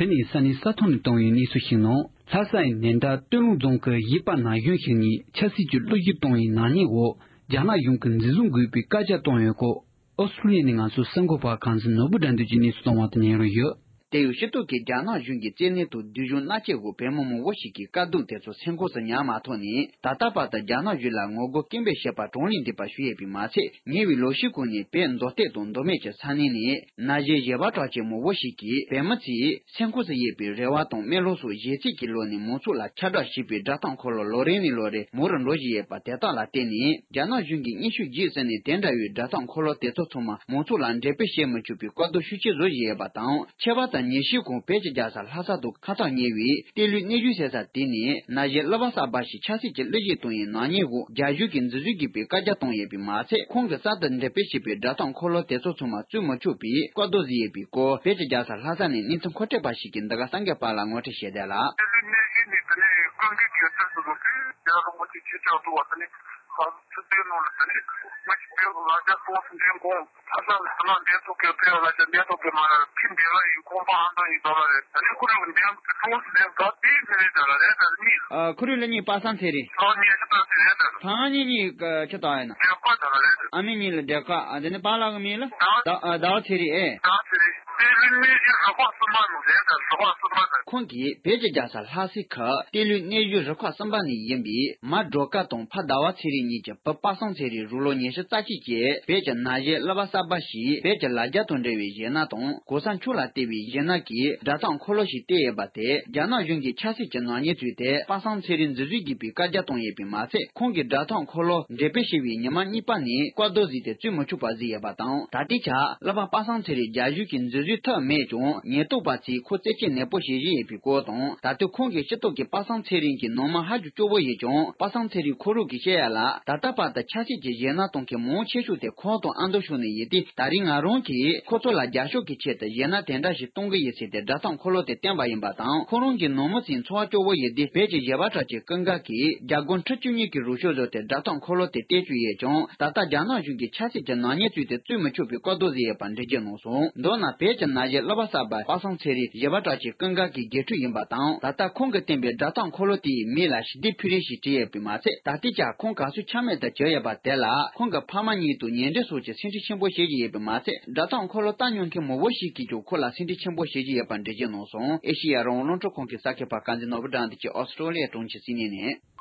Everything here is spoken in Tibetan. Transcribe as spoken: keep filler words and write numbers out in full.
དེ་ནས་ས་གནས་ས་ཐོག་ནས་བཏང་བའི་གནས་ཚུལ་ཞིག་ནང་། ལྷ་ས་ཡི་ནན་ད་སྟོད་ལུང་རྫོང་གི་གཞིས་པ་ན་གཞོན་ཞིག་ནས་ཆབ་སྲིད་ཀྱི་གློད་གཞི་བཏང་བའི་ནག་ཉེས་འོག་རྒྱ་ནག་གཞུང་གིས་འཛིན་བཟུང་དགོས་པའི་བཀའ་རྒྱ་བཏང་ཡོད་སྐོར། ཨོ་སི་ཀྲུ་ལི་ཡ་ནས་ང་ཚོའི་གསར་འགོད་པ་གངས་འཛིན་ནོར་བུ་དགྲ་འདུལ་གྱིས་གནས་ཚུལ་བཏང་བ་དང་ཉན་རོགས་ཡོད། དེ་ཡང་སྤྱི་ཚོགས་ཀྱི་རྒྱ་ནག་གཞུང་གི་བཙན་གནོན་དང་སྡུག་སྦྱོང་མནར་གཅོད་འོག་བོད་མི་མང་པོ་ཞིག་གིས་དཀའ་སྡུག་དེ་ཚོ་སེམས་ཁོང་དུ་ཉར་མ་ཐུབ་ནས། ད་ལྟ་བར་དུ་རྒྱ་ནག་གཞུང་ལ་ངོ་རྒོལ་སྐད་འབོད་བྱེད་པ་གྲངས་ལས་འདས་པ་ཞིག་ཡོད་པས་མ་ཚད། ཉེ་བའི་ལོ་ཤས་གོང་ནས་བོད་མདོ་སྟོད་དང་མདོ་སྨད་ཀྱི་ས་གནས་ནས་ན་གཞོན་གཞས་པ་གྲགས་ཅན་མང་པོ་ཞིག་གིས་བོད་མི་ཚོས་སེམས་ཁོང་དུ་ཡོད་པའི་རེ་བ་དང་སྨོན་ལམ་སོགས་གཞས་ཚིག་གི་ལོག་ནས་མང་ཚོགས་ལ་ཁྱབ་བསྒྲགས་བྱས་པའི་སྒྲ་གཏམ་འཁོར་ལོ་ལོ་རེ་ནས་ལོ་རེ་མང་རུ་འགྲོ་བཞིན་ཡོད་པ་དེ་དག་ལ་བརྟེན་ནས། རྒྱ་ནག་གཞུང་གིས་མཉེས་གཤོག་རྒྱས་ཟེར་ནས་དེ་འདྲ་བའི་སྒྲ་གཏམ་འཁོར་ལོ་དེ་ཚོ་ཚང་མ་མང་ཚོགས་ལ་འགྲེམས་སྤེལ་བྱེད་མི་ཆོག་པའི་བཀའ་བསྡུར་ཤུགས་ཆེ་བཟོ་བཞིན་ཡོད་པ་དང་། ཁྱད་པར་དུ་ཉེ་ཤས་གོང་བོད་ཀྱི་རྒྱལ་ས་ལྷ་ས་དང་ཁ་ཐག་ཉེ་བའི་གཏེར་ལུས་གནས་བཞུགས་ཟེར་ས་དེ་ནས་ན་གཞོན་གླུ་བ་གསར་པ་ཞིག་ཆབ་སྲིད་ཀྱི་གློད་གཞི་བཏང་བའི་ནག་ཉེས་འོག་རྒྱ་གཞུང་གིས་འཛིན་བཟུང་དགོས་པའི་བཀའ་རྒྱ་བཏང་ཡོད་པས་མ་ཚད། ཁོང་གིས་གསར་དུ་འགྲེམས་སྤེལ་བྱས་པའི་སྒྲ་གཏམ་འཁོར་ལོ་དེ་ཚོ་ཚང་མ་བཙུད་མི་ཆོག་པའི་བཀའ་བསྡུར་བཟོས་ཡོད་པའི་སྐོར། བོད་ཀྱི་རྒྱལ་ས་ལྷ་ས་ནས་གནས་ཚུལ་མཁོ་སྤྲོད་པ་ཞིག་གིས་འདི་ག་གསར་འགོད་པ་ལ་ངོ་སྤྲོད་བྱས་བསྡད་ལ། གཏེར་ལུས་གནས་བཞུགས་ནས་དེ་ནས་ཀུན་གྱི་རྒྱལ་སྲས་སུ་འགྲོ་དུས་རྒྱལ་བ་རིན་པོ་ཆེ་ཁྱེད་ཅག་འདུག་བ། དེ་ནས་ཕར་ཚུར་བལྟས་ནོ་ལ་དེ་ནས་ང་ཞིག་བལྟས་ལ་རྒྱ་སྟོང་སུ་འདྲེན་གོང་ཕ་ས་ལ་ལ་འདྲེན་ཐུབ་ཀྱི་ཕེ་བ་ལ་ཞབས་འདྲེན་ཐུབ་ཀྱི་མ་རེད། ཕི་འདྲེ་ལ་ཡིན་ཁོང་པ་ཨ་མདོ་ཡིན་དོ་ལ་རེད། དེ་ནས་ཁོ་རང་གི་འདྲེན་སྟོང་སུ་འདྲེན་ག་དེའི་ཕེ་རེད་ད་ལ་རེད། ད་གཉིས། ཨ་ཁོ་རང་ལ་གཉིས་པ་སངས་ཚེ་རིང་། ཨ་གཉིས་ཤི་ད་ཚེ་རེད་ད། ཕ་གཉིས་གཉིས་ཀ་ཆི་ད་ཡིན་ན། འདྲེན་པ་ད་ལ་རེད། ཨ་མི་གཉིས་ལ་འདྲེན་ཀ་ཨ་དེ་ནས་པཱ་ལགས་ཀྱི་མིང་ལ། ད་ཟླ་བ་ཚེ་རིང་ཨེ། ཟླ་བ་ཚེ་རིང་། གཏེར་ལུས་གནས་བཞུགས་རུ་ཁག་གསུམ་པ་ནང་རེད་ད། རུ་ཁག་གསུམ་པ་ད། ཁོང་གིས་བོད་ཀྱི་རྒྱལ་ས་ལྷ་སའི་ཁུལ་གཏེར་ལུས་གནས་བཞུགས་རུ་ཁག་གསུམ་པ་ནས་ཡིན་པའི་མ་སྒྲོལ་དཀར་དང་ཕ་ཟླ་བ་ཚེ་རིང་གཉིས་ཀྱི་བུ་པ་སངས་ཚེ་རིང་རང་ལོ་ཉི་ཤུ་རྩ་གཅིག་བཅས་བོད་ཀྱི་ན་གཞོན་གླུ་བ་གསར་པ་ཞིག་བོད་ཀྱི་ལ་རྒྱ་དང་འབྲེལ་བའི་གཞས་སྣ་དང་གོ་ས་མཆོག་ལ་བརྟེན་པའི་གཞས་སྣ་གི་སྒྲ་གཏམ་འཁོར་ལོ་ཞིག་བཏོན་ཡོད་པ་དེ་རྒྱ་ནག་གཞུང་གིས་ཆབ་སྲིད་ཀྱི་ནག་ཉེས་བཙུགས་ཏེ་པ་སངས་ཚེ་རིང་འཛིན་བཟུང་དགོས་པའི་བཀའ་རྒྱ་བཏང་ཡོད་པས་མ་ཚད། ཁོང་གིས་སྒྲ་གཏམ་འཁོར་ལོ་འགྲེམས་སྤེལ་བྱས་པའི་ཉི་མ་གཉིས་པ་ནས་བཀའ་བསྡུར་བཟོས་ཏེ་བཙུད་མི་ཆོག་པ་བཟོས་ཡོད་པ་དང་། ད་ལྟའི་ཆར་གླུ་བ་པ་སངས་ཚེ་རིང་རྒྱ་གཞུང་གིས་འཛིན་བཟུང་ཐུབ་མེད་ཀྱང་། ཉེན་རྟོག་པ་ཚོས་ཁོ་རྩད་གཅོད་ནན་པོ་བྱེད་བཞིན་ཡོད་པའི་སྐོར་དང་། ད་དུང་ཁོང་གི་སྤྱི་ཚོགས་ཀྱིས་པ་སངས་ཚེ་རིང་གི་ནང་མི་ཧ་ཅང་སྐྱོ་བོ་ཡོད་ཀྱང་། པ་སངས་ཚེ་རིང་ཁོ་རང་གིས་བཤད་ཡ་ལ། ད་ལྟ་བར་དུ་ཆབ་སྲིད་ཀྱི་གཞས་སྣ་གཏོང་མཁན་མང་ཆེ་ཤོས་དེ་ཁོང་དང་ཨ་མདོ་ཕྱོགས་ནས་ཡིན་ཏེ། ད་རིང་ང་རང་གིས་ཁོ་ཚོ་ལ་རྒྱབ་སྐྱོར་གྱི་ཆེད་དུ་གཞས་སྣ་དེ་འདྲ་ཞིག་གཏོང་གི་ཡིན་ཟེར་ཏེ་སྒྲ་གཏམ་འཁོར་ལོ་དེ་བཏོན་པ་ཡིན་པ་དང་། ཁོ་རང་གི་ནང་མི་ཚོའི་འཚོ་བ་སྐྱོ་བོ་ཡོད་དུས། བོད་ཀྱི་གཞས་པ་གྲགས་ཅན་ཀུན་དགའ་གིས་རྒྱ་སྒོར་ཁྲི་བཅུ་གཉིས་ཀྱི་རོགས་སྐྱོར་བཟོས་ཏེ་སྒྲ་གཏམ་འཁོར་ལོ་དེ་བཏོན་བཅུག་ཡོད་ཀྱང་། ད་ལྟ་རྒྱ་ནག་གཞུང་གིས་ཆབ་སྲིད་ཀྱི་ནག་ཉེས་བཙུགས་ཏེ་བཙུད་མི་ཆོག་པའི་བཀའ་བསྡུར་བཟོས་ཡོད་པ་འགྲེལ་བརྗོད་གནང་སོང་། མདོར་ན་བོད་ཀྱི་ན་གཞོན་གླུ་བ་གསར་པ་པ་སངས་ཚེ་རིང་གཞས་པ་གྲགས་ཅན་ཀུན་དགའ་གི་དགེ་ཕྲུག་ཡིན་པ་དང་། ད་ལྟ་ཁོང་གིས་བཏོན་པའི་སྒྲ་གཏམ་འཁོར་ལོ་དེའི་མིང་ལ་ཞི་བདེ་འཕེལ་རིམ་ཞེས་བྲིས་ཡོད་པས་མ་ཚད། ད་ལྟའི་ཆར་ཁོང་ག་ཚོད་ཆ་མེད་དུ་གྱུར་ཡོད་པ་དེ་ལ་ཁོང་གི་ཕ་མ་གཉིས་དང་ཉེ་འབྲེལ་སོགས་ཀྱིས་སེམས་ཁྲལ་ཆེན་པོ་བྱེད་བཞིན་ཡོད་པས་མ་ཚད། སྒྲ་གཏམ་འཁོར་ལོ་ལྟ་མྱོང་མཁན་མང་པོ་ཞིག་གིས་ཀྱང་ཁོ་ལ་སེམས་ཁྲལ་ཆེན་པོ་བྱེད་བཞིན་ཡོད་པ་འགྲེལ་བརྗོད་གནང་སོང་། ཨེ་ཤེ་ཡ་རང་དབང་རླུང་འཕྲིན་ཁང་གི་གསར་འགོད་པ་གངས་འཛིན་ནོར་བུ་དགྲ་འདུལ་གྱིས་ཨོ་སི་ཀྲོ་ལི་ཡའི་གྲོང་ཁྱེར་སིད་ནི་ནས།